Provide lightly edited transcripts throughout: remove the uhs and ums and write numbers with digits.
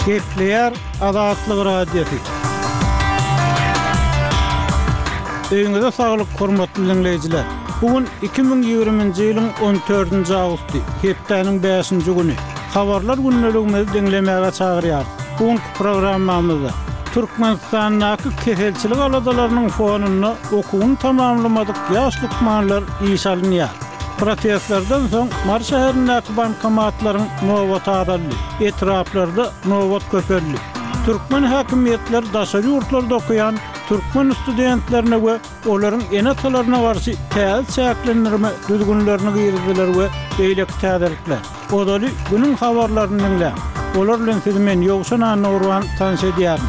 Gepleýär Azatlyk Radiosy. Öýüňize saglyk, hormatly diňleýjiler! Bu gün 2020-nji ýylyň on dördünji awgusty, hepdäniň bäşinji güni. Habarlar gündeligimizi diňlemäge çagyrýarys. Bu günki programmamyzda Türkmenistandaky keselçilik aladalarynyň fonunda okuwyny tamamlamadyk ýaş lukmanlar işe alynýar. Protestlerden soň Mary şäherindäki bankomatlaryň nobaty azaldy, etraplarda nobat köpeldi. Türkmen häkimiýetleri daşary ýurtlarda okaýan türkmen studentlerine we olaryň ene-atalaryna garşy täze çäklendirme düzgünlerini girizdiler we beýleki täzelikler. Ozaly günüň habarlaryny diňläň. Olar bilen sizi men Ýowşan Annagurban tanyş edýärin.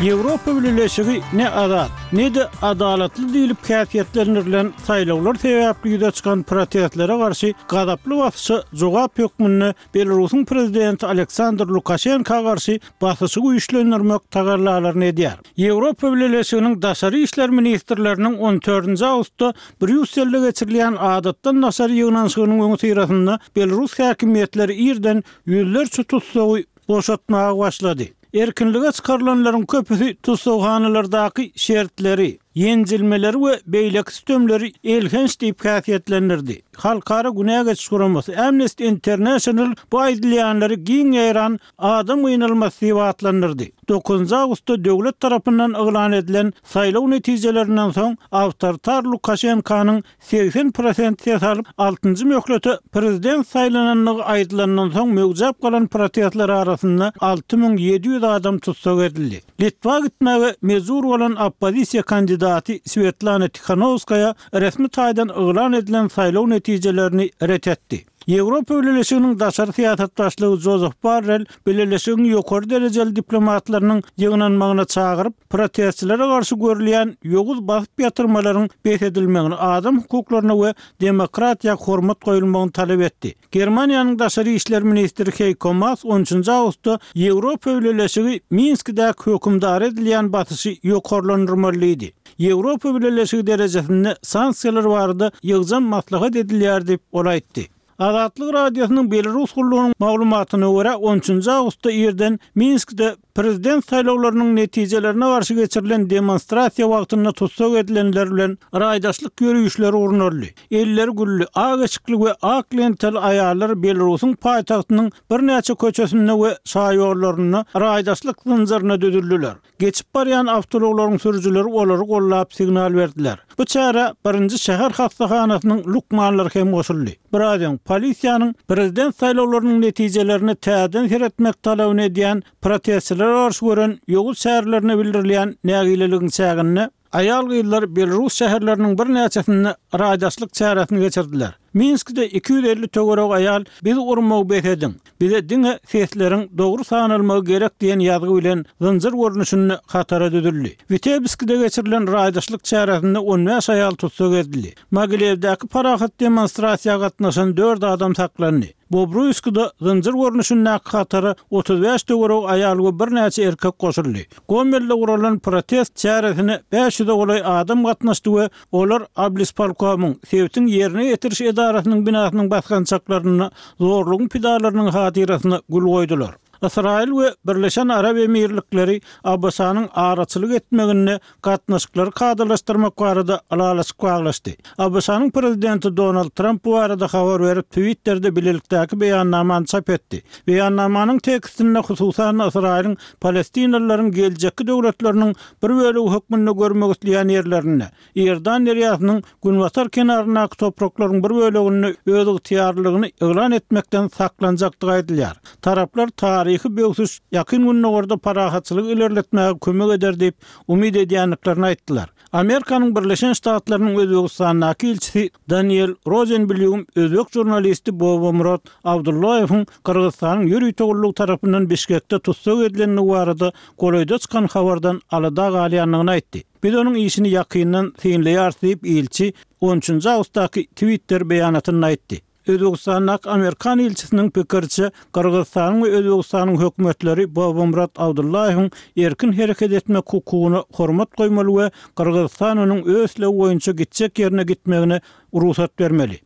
Ýewropa Bileleşigi ne azat, ne-de adalatly diýlip häsiýetlendirilen saýlawlar sebäpli ýüze çykan protestlere garşy gazaply basyşa jogap hökmünde Belarusyň prezidenti Aleksandr Lukaşenka garşy basyşy güýçlendirmek tagallalaryny edýär. Ýewropa Bileleşiginiň daşary işler ministrleriniň on dördünji awgustda Brýusselde geçirilýän adatdan daşary ýygnanyşygynyň öňüsyrasynda belarus häkimiýetleri irden ýüzlerçe tussagy boşatmaga başlady. Erkinlige çykarylanlaryň köpüsi tussaghanalardaky şertleri, ýenjilmeleri we beýleki sütemleri elhenç diýip häsiýetlendirdi. Halkara günä geçiş guramasy Amnesty International bu aýdylýanlary giň ýaýran adam gynalmasy diýip atlandyrdy. Dokuzynjy awgustda döwlet tarapyndan yglan edilen saýlaw netijelerinden soň awtoritar Lukaşenkanyň 80 prosent ses alyp, altynjy möhlete prezident saýlanandygy aýdylandan soň möwjäp galan protestler arasynda 6700 adam tussag edildi. Litwa gitmäge mejbur bolan oppozisiýa kandidaty Swetlana Tihanowskaýa resmi taýdan yglan edilen saýlaw netijelerini ret etdi. Ýewropa Bileleşiginiň daşary syýasat başlygy Jozef Borrell bileleşigiň ýokary derejeli diplomatlarynyň ýygnanmagyna çagyryp, protestçilere garşy görülýän ýowuz basyp ýatyrmalaryň bes edilmegini, adam hukuklaryna we demokratiýa hormat goýulmagyny talap etdi. Germaniýanyň daşary işler ministri Heýko Maas on üçünji awgustda Ýewropa Bileleşigi Minskidäki hökümdara edilýän basyşy ýokarlandyrmaly diýdi. Ýewropa Bileleşigi derejesinde sanksiýalar barada ýygjam maslahat edilýär diýip, ol aýtdy. Azatlyk Radiosynyň Belarus gullugynyň maglumatyna görä, on üçünji awgustda irden Minskde prezident saýlawlarynyň netijelerine garşy geçirilen demonstrasiýa wagtynda tussag edilenler bilen raýdaşlyk ýörişleri gurnaldy. Elleri gülli, ak eşikli we ak lentaly aýallar Belarusyň paýtagtynyň birnäçe köçesinde we şaýollarynda raýdaşlyk zynjyryna düzüldiler. Geçip barýan awtoulaglaryň sürüjileri olary gollap signal berdiler. Bu çärä birinji şäher hassahanasynyň lukmanlary hem goşuldy. Biraz öň, polisiýanyň prezident saýlawlarynyň netijelerine täzeden seretmek talabyny edýän protestçilere garşy gören ýowuz çärelerine bildirilýän nägileligiň çäginde, Aýal-gyzlar belarus şäherleriniň birnäçesinde raýdaşlyk çäresini geçirdiler. Minskde 250 töweregi aýal Bizi urmagy bes ediň! Bize diňe sesleriň dogry sanalmagy gerek diýen ýazgy bilen zynjyr görnüşinde hatara düzüldi. Witebskide geçirilen raýdaşlyk çäresinde on bäş aýal tussag edildi. Mogilewdäki parahat demonstrasiýa gatnaşan dört adam saklandy. Bobruýskda zynjyr görnüşindäki hatara 35 töweregi aýal we birnäçe erkek goşuldy. Gomelde guralan protest çäresine 500-e golaý adam gatnaşdy we olar Oblispolkomyň, sebitiň ýerine ýetiriş edarasynyň binasynyň basgançaklarynda zorlugyň pidalarynyň hatyrasyna gül goýdular. Ysraýyl we Birleşen Arap Emirlikleri ABŞ-nyň araçylyk etmeginde gatnaşyklary kadalaşdyrmak barada ylalaşyk baglaşdy. ABŞ-nyň Prezidenti Donald Tramp bu barada habar berip, Twitterde bilelikdäki beýannamany çap etdi. Beýannamanyň tekstinde hususan-da Ysraýylyň palestinalylaryň geljekki döwletleriniň bir bölegi hökmünde görmek isleýän ýerlerinde, Iordan derýasynyň günbatar kenaryndaky topraklaryň bir böleginde özygtyýarlylygyny yglan etmekden saklanjakdygy aýdylýar. Taraplar taryhy böwsüş Ýakyn Gündogarda parahatçylygy ilerletmäge kömek eder diýip umyt edýändiklerini aýtdylar. Amerikanyň Birleşen Ştatlarynyň Özbegistandaky ilçisi Daniel Rozenblýum özbek žurnalisti Bobomurod Abdullaýewiň Gyrgyzystanyň ýörite gullugy tarapyndan Bişkekde tussag edilendigi barada golaýda çykan habardan alada galýandygyny aýtdy. Biz onuň işini ýakyndan synlaýarys diýip, ilçi on üçünji awgustdaky Twitter beýanatynda aýtdy. Özbegistandaky amerikan ilçisiniň pikiriçe, Gyrgyzystanyň we Özbegistanyň hökümetleri Bobomurad Abdullaýewiň erkin hereket etmek hukugyna hormat goýmaly we Gyrgyzystan onuň öz islegi boýunça gitjek ýerine gitmegine rugsat bermeli.